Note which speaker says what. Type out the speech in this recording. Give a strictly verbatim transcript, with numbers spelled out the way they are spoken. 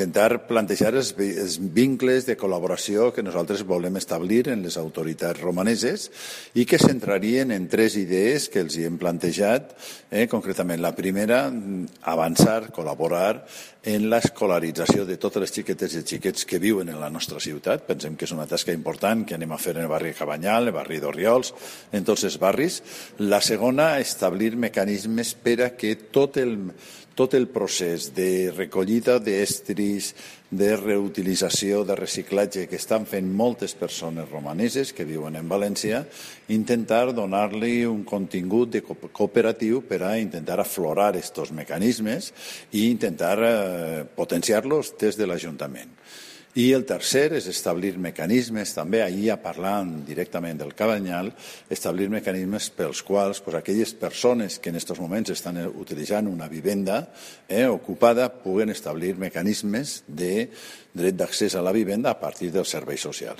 Speaker 1: Intentar plantejar els, els vincles de col·laboració que nosaltres volem establir en les autoritats romaneses i que centrarien en tres idees que els hi hem plantejat. Eh, concretament, la primera, avançar, col·laborar en l'escolarització de totes les xiquetes i xiquets que viuen en la nostra ciutat. Pensem que és una tasca important que anem a fer en el barri de Cabanyal, el barri d'Orriols, en tots els barris. La segona, establir mecanismes per a que tot el tot el procés de recollida d'estris, de reutilització, de reciclatge que estan fent moltes persones romaneses que viuen en València, intentar donar-li un contingut de cooperatiu per a intentar aflorar aquests mecanismes i intentar eh, potenciar-los des de l'Ajuntament. I el tercer és establir mecanismes, també allà parlant directament del Cabanyal, establir mecanismes pels quals pues, aquelles persones que en aquests moments estan utilitzant una vivenda eh, ocupada puguen establir mecanismes de dret d'accés a la vivenda a partir dels serveis socials.